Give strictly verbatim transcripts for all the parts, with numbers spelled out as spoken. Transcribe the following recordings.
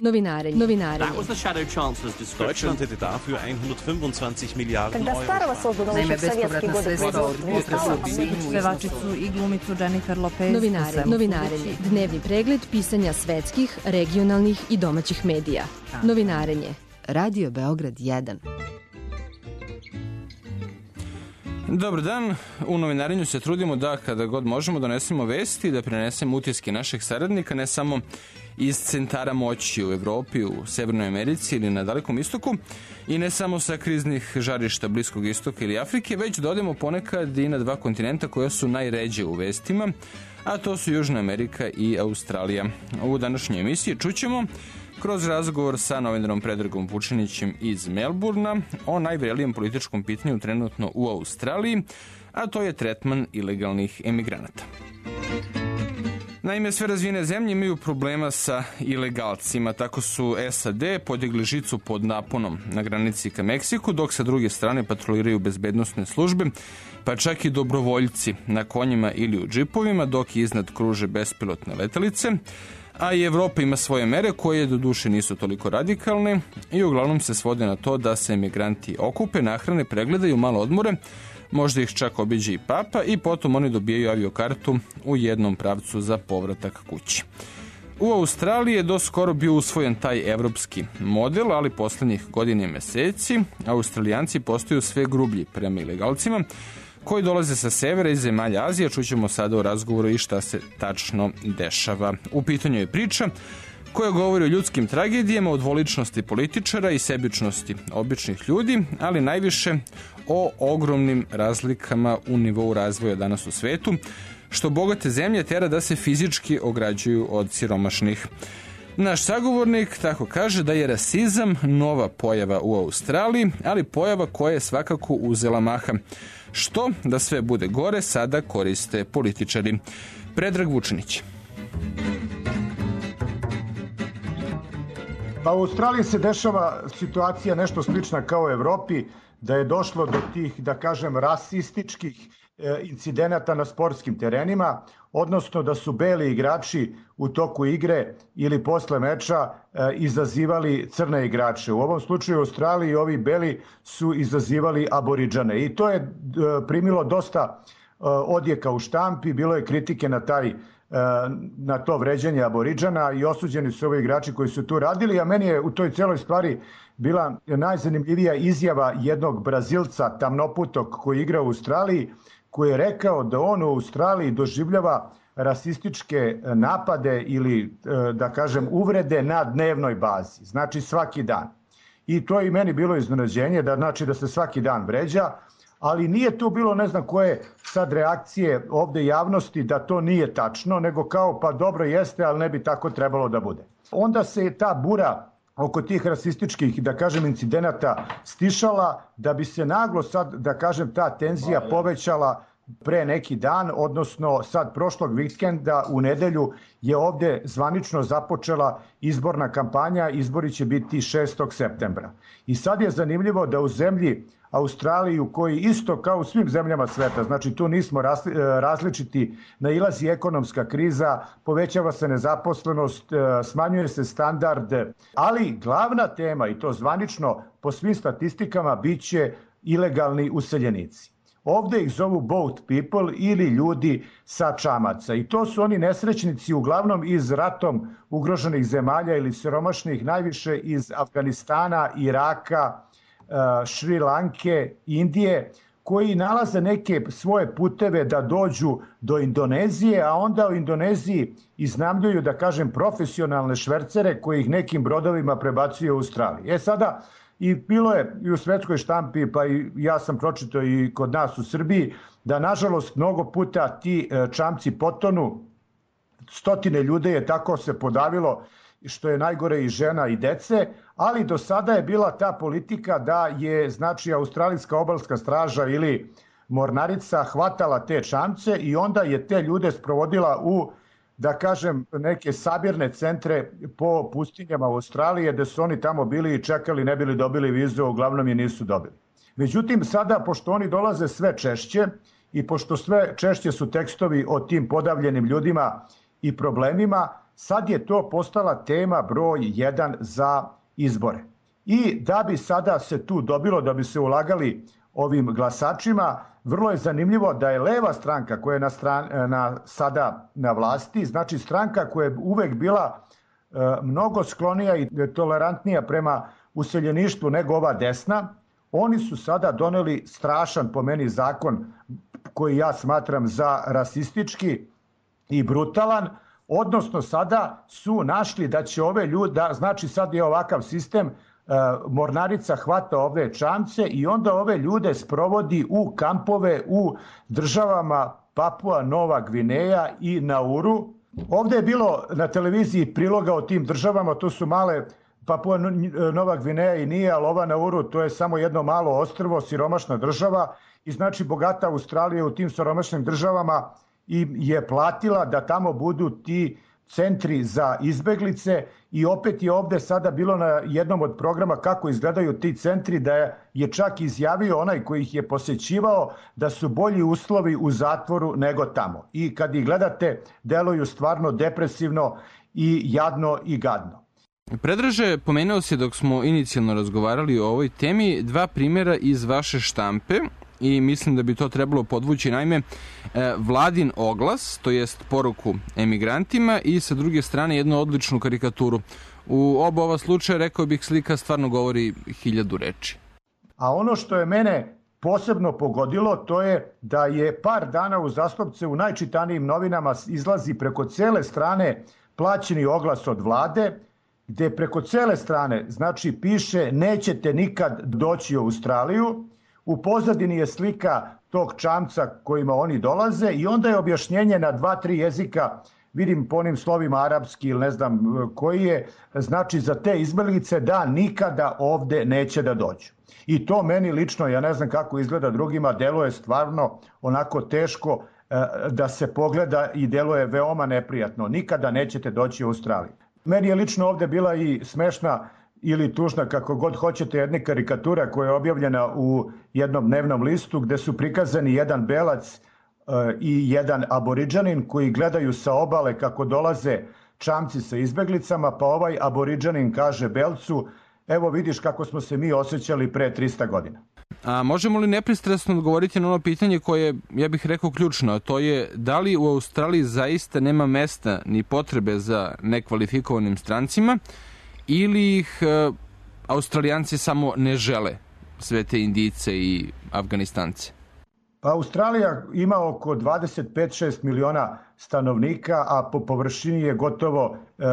Novinarenje. Novinarenje. Deutschland hätte dafür hundertfünfundzwanzig Milliarden Euro. Naime, bespovratna sredstva od pevačicu i glumicu Jennifer Lopez. Novinarenje. Novinarenje. Dnevni pregled pisanja svetskih, regionalnih i domaćih medija. Novinarenje. Radio Beograd jedan. Dobar dan, u novinarenju se trudimo da kada god možemo donesemo vesti, da prenesemo utiske naših saradnika, ne samo iz centara moći u Evropi, u Severnoj Americi ili na Dalekom istoku i ne samo sa kriznih žarišta Bliskog istoka ili Afrike, već da odemo ponekad i na dva kontinenta koja su najređe u vestima, a to su Južna Amerika i Australija. U današnjoj emisiji čućemo kroz razgovor sa novinarom Predragom Vučinićem iz Melburna o najvrelijem političkom pitanju trenutno u Australiji, a to je tretman ilegalnih emigranata. Naime, sve razvijene zemlje imaju problema sa ilegalcima. Tako su S A D podigli žicu pod naponom na granici ka Meksiku, dok sa druge strane patroliraju bezbednosne službe, pa čak i dobrovoljci na konjima ili u džipovima, dok iznad kruže bespilotne letelice. A i Evropa ima svoje mere koje do duše nisu toliko radikalne i uglavnom se svode na to da se emigranti okupe, nahrane, pregledaju, malo odmore, možda ih čak obiđe i papa i potom oni dobijaju aviokartu u jednom pravcu za povratak kući. U Australiji je do skoro bio usvojen taj evropski model, ali poslednjih godina i meseci Australijanci postaju sve grublji prema ilegalcima koji dolaze sa severa i zemalja Azije. Čućemo sada u razgovoru i šta se tačno dešava. U pitanju je priča koja govori o ljudskim tragedijama, o dvoličnosti političara i sebičnosti običnih ljudi, ali najviše o ogromnim razlikama u nivou razvoja danas u svetu, što bogate zemlje tera da se fizički ograđuju od siromašnih. Naš sagovornik tako kaže da je rasizam nova pojava u Australiji, ali pojava koja je svakako uzela maha. Što, da sve bude gore, sada koriste političari. Predrag Vučinić. Pa u Australiji se dešava situacija nešto slična kao u Evropi, da je došlo do tih, da kažem, rasističkih incidenata na sportskim terenima, odnosno da su beli igrači u toku igre ili posle meča izazivali crne igrače. U ovom slučaju u Australiji ovi beli su izazivali Aboridžane i to je primilo dosta odjeka u štampi, bilo je kritike na taj na to vređanje Aboridžana i osuđeni su ovi igrači koji su tu radili, a meni je u toj celoj stvari bila najzanimljivija izjava jednog Brazilca tamnoputog koji igra u Australiji, koji je rekao da on u Australiji doživljava rasističke napade ili, da kažem, uvrede na dnevnoj bazi, znači svaki dan. I to je i meni bilo iznenađenje, da znači da se svaki dan vređa, ali nije tu bilo ne znam koje sad reakcije ovde javnosti da to nije tačno, nego kao pa dobro jeste, ali ne bi tako trebalo da bude. Onda se ta bura oko tih rasističkih, da kažem, incidenata stišala, da bi se naglo sad, da kažem, ta tenzija povećala pre neki dan, odnosno sad prošlog vikenda u nedelju je ovde zvanično započela izborna kampanja, izbori će biti šestog septembra. I sad je zanimljivo da u zemlji Australiji, u koji isto kao u svim zemljama sveta, znači tu nismo različiti, nailazi ekonomska kriza, povećava se nezaposlenost, smanjuje se standard, ali glavna tema, i to zvanično po svim statistikama, biće ilegalni useljenici. Ovde ih zovu boat people ili ljudi sa čamaca i to su oni nesrećnici uglavnom iz ratom ugroženih zemalja ili siromašnih, najviše iz Afganistana, Iraka, Šri Lanke, Indije, koji nalaze neke svoje puteve da dođu do Indonezije, a onda u Indoneziji iznajmljuju, da kažem, profesionalne švercere koji ih nekim brodovima prebacuju u Australiju. E sada, i bilo je i u svetskoj štampi, pa i ja sam pročitao i kod nas u Srbiji, da nažalost mnogo puta ti čamci potonu, stotine ljudi je tako se podavilo, što je najgore i žena i dece, ali do sada je bila ta politika da je, znači, Australijska obalska straža ili mornarica hvatala te čamce i onda je te ljude sprovodila u, da kažem, neke sabirne centre po pustinjama Australije, gde su oni tamo bili i čekali, ne bili dobili vizu, uglavnom je nisu dobili. Međutim, sada, pošto oni dolaze sve češće i pošto sve češće su tekstovi o tim podavljenim ljudima i problemima, sad je to postala tema broj jedan za izbore. I da bi sada se tu dobilo, da bi se ulagali ovim glasačima, vrlo je zanimljivo da je leva stranka koja je na stran, na, sada na vlasti, znači stranka koja je uvek bila e, mnogo sklonija i tolerantnija prema useljeništvu nego ova desna, oni su sada doneli strašan po meni zakon koji ja smatram za rasistički i brutalan, odnosno sada su našli da će ove ljude, znači sad je ovakav sistem, Mornarica hvata ove čamce i onda ove ljude sprovodi u kampove u državama Papua Nova Gvineja i Nauru. Ovde je bilo na televiziji priloga o tim državama, to su male Papua Nova Gvineja i nije, ali ova Nauru to je samo jedno malo ostrvo, siromašna država i znači bogata Australija u tim siromašnim državama i je platila da tamo budu ti centri za izbeglice i opet je ovde sada bilo na jednom od programa kako izgledaju ti centri, da je čak izjavio onaj koji ih je posećivao da su bolji uslovi u zatvoru nego tamo. I kad ih gledate, deluju stvarno depresivno i jadno i gadno. Predraže, pomenuo se dok smo inicijalno razgovarali o ovoj temi dva primjera iz vaše štampe i mislim da bi to trebalo podvući. Naime, vladin oglas, to jest poruku emigrantima i sa druge strane jednu odličnu karikaturu. U oba ova slučaja, rekao bih, slika stvarno govori hiljadu reči. A ono što je mene posebno pogodilo, to je da je par dana uzastopce u najčitanijim novinama izlazi preko cele strane plaćeni oglas od vlade, gde preko cele strane, znači, piše nećete nikad doći u Australiju, u pozadini je slika tog čamca kojima oni dolaze i onda je objašnjenje na dva, tri jezika, vidim po onim slovima arapski ili ne znam koji je, znači za te izbeglice da nikada ovde neće da dođu. I to meni lično, ja ne znam kako izgleda drugima, deluje stvarno onako teško da se pogleda i deluje veoma neprijatno. Nikada nećete doći u Australiju. Meni je lično ovde bila i smešna ili tužna, kako god hoćete, jedna karikatura koja je objavljena u jednom dnevnom listu gde su prikazani jedan belac i jedan aboriđanin koji gledaju sa obale kako dolaze čamci sa izbeglicama, pa ovaj aboriđanin kaže belcu, evo vidiš kako smo se mi osjećali pre trista godina. A možemo li nepristrasno odgovoriti na ono pitanje koje, ja bih rekao, ključno, a to je da li u Australiji zaista nema mesta ni potrebe za nekvalifikovanim strancima ili ih e, Australijanci samo ne žele, sve te Indijce i Afganistance? Pa Australija ima oko dvadeset pet do dvadeset šest miliona stanovnika, a po površini je gotovo e,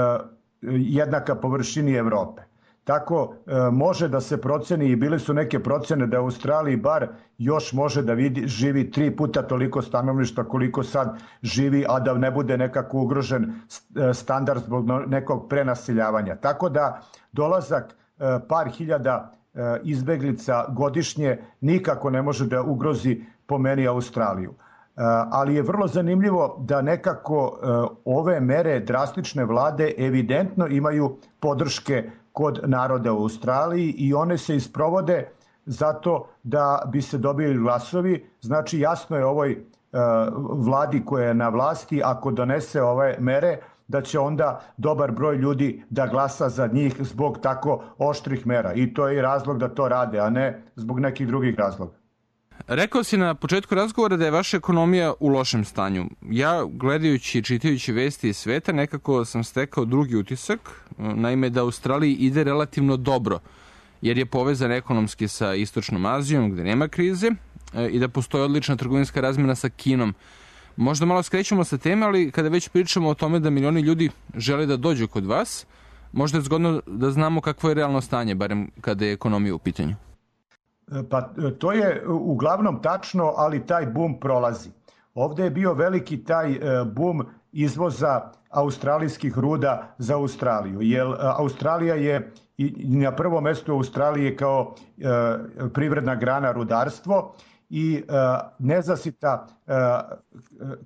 jednaka površini Evrope. Tako e, može da se proceni i bile su neke procene da u Australiji bar još može da vidi, živi tri puta toliko stanovništva koliko sad živi, a da ne bude nekako ugrožen standard zbog nekog prenaseljavanja. Tako da dolazak e, par hiljada e, izbeglica godišnje nikako ne može da ugrozi po meni Australiju. E, ali je vrlo zanimljivo da nekako e, ove mere drastične vlade evidentno imaju podrške kod naroda u Australiji i one se isprovode zato da bi se dobili glasovi. Znači jasno je ovoj e, vladi koja je na vlasti, ako donese ove mere, da će onda dobar broj ljudi da glasa za njih zbog tako oštrih mera. I to je i razlog da to rade, a ne zbog nekih drugih razloga. Rekao si na početku razgovora da je vaša ekonomija u lošem stanju. Ja, gledajući i čitajući vesti iz sveta, nekako sam stekao drugi utisak, naime da Australiji ide relativno dobro, jer je povezan ekonomski sa Istočnom Azijom, gde nema krize, i da postoji odlična trgovinska razmena sa Kinom. Možda malo skrećemo sa teme, ali kada već pričamo o tome da milioni ljudi žele da dođu kod vas, možda je zgodno da znamo kakvo je realno stanje, barem kada je ekonomija u pitanju. Pa to je uglavnom tačno, ali taj bum prolazi. Ovde je bio veliki taj bum izvoza australijskih ruda za Australiju, jer Australija je i na prvom mestu Australije kao privredna grana rudarstvo i nezasita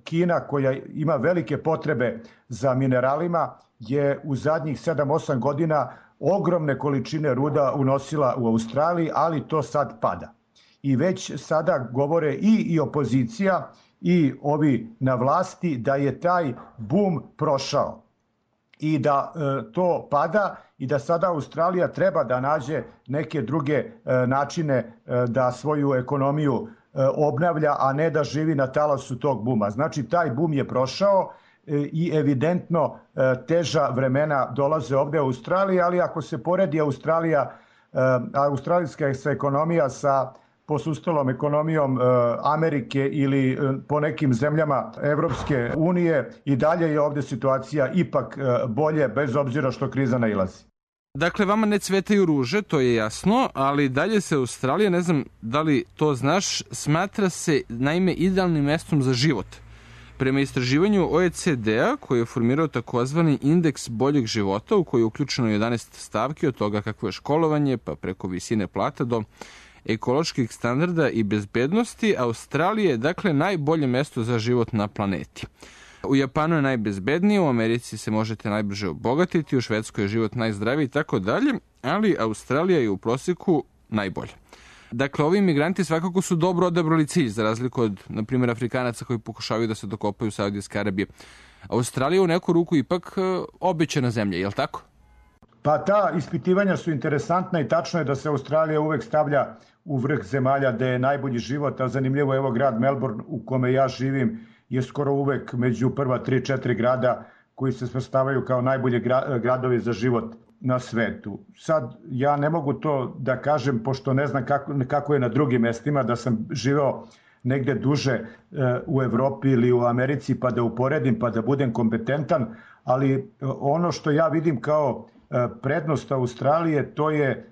Kina koja ima velike potrebe za mineralima je u zadnjih sedam osam godina ogromne količine ruda unosila u Australiji, ali to sad pada. I već sada govore i, i opozicija i ovi na vlasti da je taj bum prošao. i da e, to pada i da sada Australija treba da nađe neke druge e, načine e, da svoju ekonomiju e, obnavlja, a ne da živi na talasu tog buma. Znači, taj bum je prošao e, i evidentno e, teža vremena dolaze ovde u Australiji, ali ako se poredi Australija, e, australijska ekonomija sa posustalom ekonomijom e, Amerike ili e, po nekim zemljama Evropske unije, i dalje je ovde situacija ipak e, bolje, bez obzira što kriza nailazi. Dakle, vama ne cvetaju ruže, to je jasno, ali dalje se Australija, ne znam da li to znaš, smatra se naime idealnim mestom za život. Prema istraživanju O E C D-a, koji je formirao takozvani indeks boljeg života, u koji je uključeno jedanaest stavki, od toga kakvo je školovanje, pa preko visine plata do ekoloških standarda i bezbednosti, Australija je dakle najbolje mesto za život na planeti. U Japanu je najbezbednije, u Americi se možete najbrže obogatiti, u Švedskoj je život najzdraviji i tako dalje, ali Australija je u prosjeku najbolja. Dakle, ovi imigranti svakako su dobro odabrali cilj, za razliku od, na primjer, Afrikanaca koji pokušavaju da se dokopaju Saudijske Arabije. Australija u neku ruku ipak obećana zemlja, je li tako? Pa ta ispitivanja su interesantna i tačno je da se Australija uvek stavlja u vrh zemalja gde je najbolji život, a zanimljivo je evo grad Melbourne u kome ja živim je skoro uvek među prva tri četiri grada koji se svrstavaju kao najbolji gradovi za život na svetu. Sad, ja ne mogu to da kažem, pošto ne znam kako, kako je na drugim mestima, da sam živeo negde duže e, u Evropi ili u Americi, pa da uporedim, pa da budem kompetentan, ali ono što ja vidim kao e, prednost Australije, to je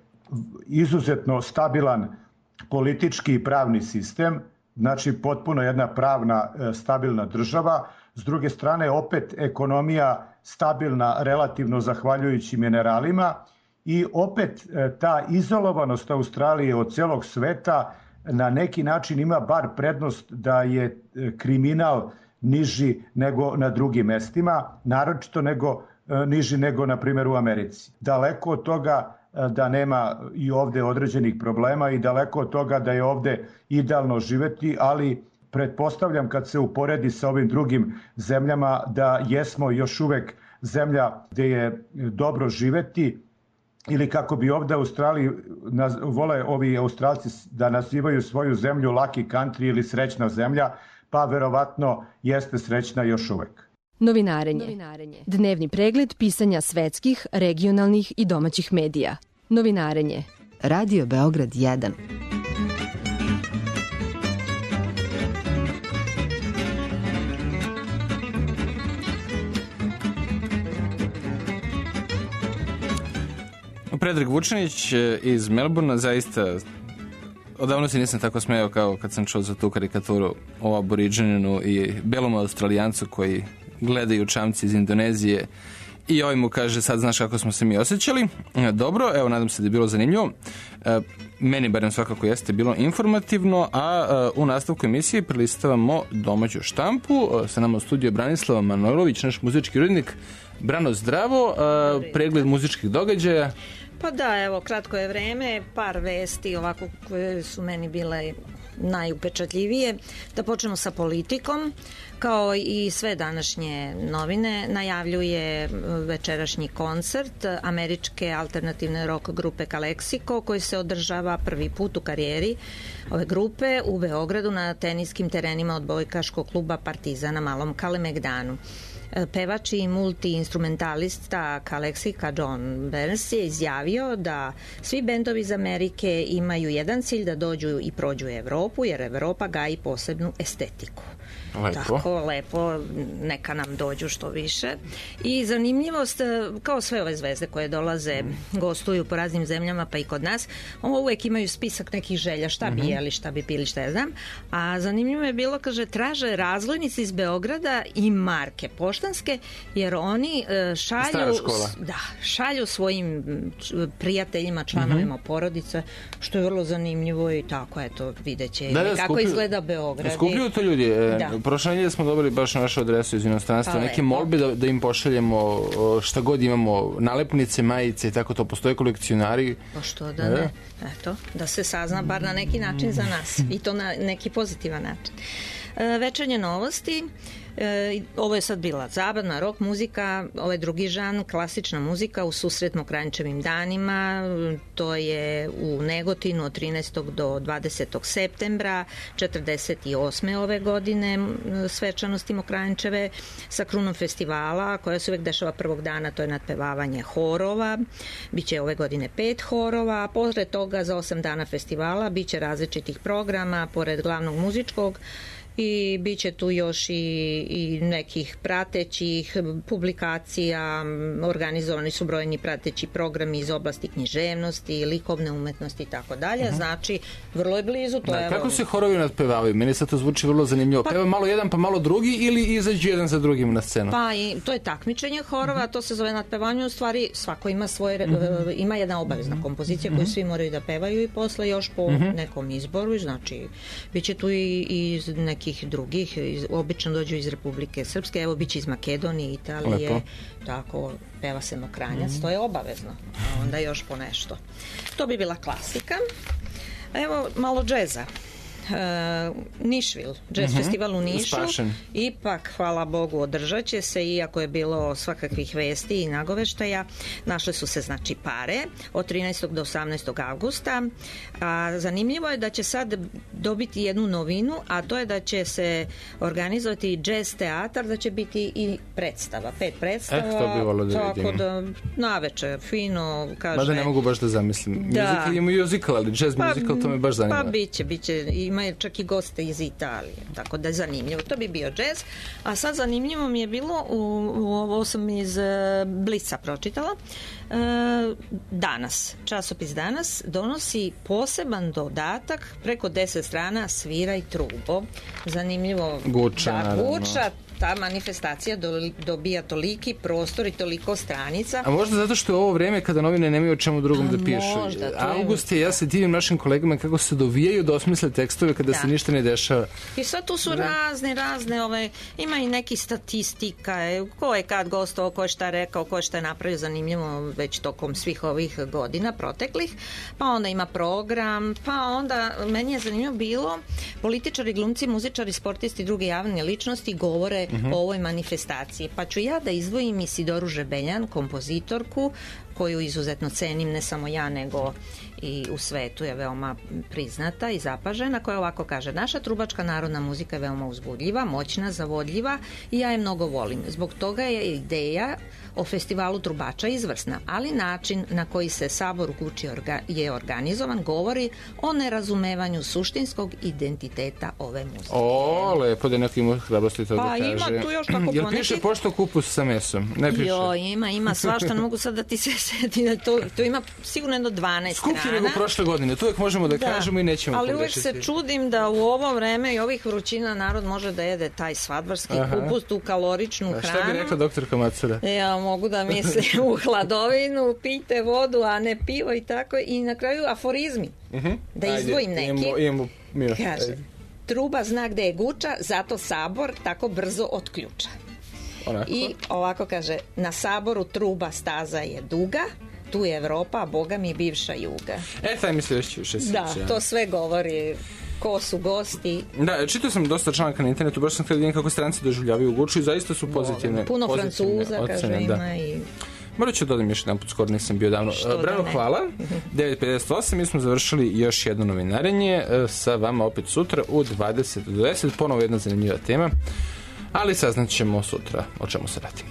izuzetno stabilan politički i pravni sistem, znači potpuno jedna pravna e, stabilna država. S druge strane, opet ekonomija stabilna relativno zahvaljujući mineralima i opet ta izolovanost Australije od celog sveta na neki način ima bar prednost da je kriminal niži nego na drugim mestima, naročito nego, niži nego na primjer u Americi. Daleko od toga da nema i ovde određenih problema i daleko od toga da je ovde idealno živeti, ali pretpostavljam kad se uporedi sa ovim drugim zemljama da jesmo još uvek zemlja gde je dobro živeti, ili kako bi ovde u Australiji vole ovi Australci da nazivaju svoju zemlju lucky country ili srećna zemlja, pa verovatno jeste srećna još uvek. Novinarenje. Novinarenje. Dnevni pregled pisanja svetskih, regionalnih i domaćih medija. Novinarenje. Radio Beograd jedan. Predrag Vučanić iz Melbourna, zaista odavno se nisam tako smejao kao kad sam čuo za tu karikaturu o aboriđaninu i belom Australijancu koji gledaju čamci iz Indonezije i ovaj mu kaže sad znaš kako smo se mi osjećali. Dobro, evo nadam se da je bilo zanimljivo. Meni barem svakako jeste bilo informativno, a u nastavku emisije prelistavamo domaću štampu. Sa nama u studiju Branislava Manojlović, naš muzički urednik. Brano, zdravo, pregled muzičkih događaja. Pa da, evo, kratko je vreme, par vesti ovako koje su meni bile najupečatljivije. Da počnemo sa politikom. Kao i sve današnje novine, najavljuje večerašnji koncert američke alternativne rock grupe Calexico, koji se održava prvi put u karijeri ove grupe u Beogradu na teniskim terenima odbojkaškog kluba Partizan na Malom Kalemegdanu. Pevač i multi-instrumentalista Calexica John Burns je izjavio da svi bendovi iz Amerike imaju jedan cilj, da dođu i prođu u Evropu, jer Evropa gaji posebnu estetiku. Lepo. Tako, lepo, neka nam dođu što više. I zanimljivost, kao sve ove zvezde koje dolaze, gostuju po raznim zemljama, pa i kod nas, ovo uvek imaju spisak nekih želja, šta bi jeli, šta bi pili, šta ja znam. A zanimljivo je bilo, kaže, traže razglednice iz Beograda i marke poštanske, jer oni šalju, da, šalju svojim prijateljima, članovima uh-huh. porodice, što je vrlo zanimljivo i tako, eto, vidjet će da, da, kako skuplju, izgleda Beograd. Skupljuju to ljudi. Da. Prošle nedelje smo dobili baš na našu adresu iz inostranstva, pa, neke molbe da, da im pošaljemo šta god imamo, nalepnice, majice i tako to. Postoje kolekcionari. Pa što da ne? Eto, da se sazna bar na neki način za nas i to na neki pozitivan način. Večernje novosti, ovo je sad bila zabavna rock muzika, ovo je drugi žan, klasična muzika u susret Mokranjčevim danima, to je u Negotinu od trinaestog do dvadesetog septembra četrdeset osme ove godine, svečanosti Mokranjčeve sa krunom festivala koja se uvek dešava prvog dana, to je nadpevavanje horova, biće ove godine pet horova, a pored toga za osam dana festivala biće različitih programa, pored glavnog muzičkog, i bit će tu još i, i nekih pratećih publikacija, organizovani su brojni prateći programi iz oblasti književnosti, likovne umetnosti i tako dalje, znači vrlo je blizu. To da, je kako se horovi nadpevavaju? Meni sad to zvuči vrlo zanimljivo. Pa, Peva malo jedan pa malo drugi ili izađu jedan za drugim na scenu? Pa i to je takmičenje horova, uh-huh. to se zove nadpevanje, u stvari svako ima svoje, uh-huh. ima jedna obavezna kompozicija koju uh-huh. svi moraju da pevaju i posle još po uh-huh. nekom izboru, znači bit će tu i iz nekih drugih, iz, obično dođu iz Republike Srpske, evo biće iz Makedonije, Italije, lepo. Tako peva se Mokranjac, mm. to je obavezno, a onda još po nešto. To bi bila klasika. Evo malo džeza. Uh, Nišvil, jazz uh-huh. festival u Nišu, Spašen. Ipak, hvala Bogu, održat će se, iako je bilo svakakvih vesti i nagoveštaja. Našle su se, znači, pare od trinaestog do osamnaestog avgusta. A zanimljivo je da će sad dobiti jednu novinu, a to je da će se organizovati jazz teatar, da će biti i predstava, pet predstava. Eh, to bi volio da tako vidim. Da, naveče, fino, kaže... Mada ne mogu baš da zamislim. Da. Musical je musical, ali jazz pa, musical, to me baš zanima. Pa biće, biće, ima je čak i goste iz Italije, tako da je zanimljivo. To bi bio džez, a sad zanimljivo mi je bilo, u, u ovo sam iz Blica pročitala, e, Danas, časopis Danas donosi poseban dodatak, preko deset strana, Sviraj trubo. Zanimljivo. Guča, da, naravno. Guča, ta manifestacija do, dobija toliki prostor i toliko stranica. A možda zato što je ovo vreme kada novine nemaju o čemu drugom da pišu. Možda, August je, ja se divim našim kolegama kako se dovijaju da osmisle tekstove kada da. se ništa ne dešava. I sad tu su da. razne, razne, ove, ima i neki statistika, ko je kad gostovao, ko je šta rekao, ko je šta je napravio, zanimljivo već tokom svih ovih godina proteklih, pa onda ima program, pa onda, meni je zanimljivo bilo, političari, glumci, muzičari, sportisti i druge javne ličnosti govore Uh-huh. o ovoj manifestaciji. Pa ću ja da izdvojim Isidoru Žebeljan, kompozitorku, koju izuzetno cenim, ne samo ja, nego i u svetu je veoma priznata i zapažena, koja ovako kaže: naša trubačka narodna muzika je veoma uzbudljiva, moćna, zavodljiva i ja je mnogo volim. Zbog toga je ideja o festivalu trubača izvrsna, ali način na koji se Sabor u Guči orga, je organizovan govori o nerazumevanju suštinskog identiteta ove muzike. O, lepo da neko ima hrabrosti to pa, da kaže. Pa ima tu još tako poneki. Jel piše pošto kupus sa mesom? Ne piše. Jo, ima, ima svašta, ne mogu sad da ti se seti. To, to ima sigurno jedno dvanaest strana. Skuplje nego prošle godine, to uvek možemo da, da kažemo i nećemo ali pogrešiti. Ali uvek se čudim da u ovo vreme i ovih vrućina narod može da jede taj svadbarski Aha. kupus, tu kaloričnu a hranu. Šta bi rekla doktorka Macura? Ja mogu da mislim u hladovinu, pijte vodu, a ne pivo i tako. I na kraju aforizmi. Uh-huh. Da izdvojim neki. Imamo, imamo, imamo, kaže, truba zna gde je Guča, zato Sabor tako brzo otključa. Onako. I ovako kaže, na Saboru truba staza je duga, tu je Evropa, a boga mi bivša juga. E, taj misli već više sviđa. Da, to sve govori ko su gosti. Da, čitao sam dosta članaka na internetu, baš sam htio da vidim kako stranci doživljavaju Guču i zaista su pozitivne. Puno pozitivne Francuza, ocene, kaže, ima da. i... Morat ću dodam još jedan put, skoro nisam bio davno. Brano, da hvala. devet pedeset osam, mi smo završili još jedno novinarenje. Sa vama opet sutra u dvadeset do deset, ponovo jedna zanimljiva tema. Ali saznat ćemo sutra o čemu se radi.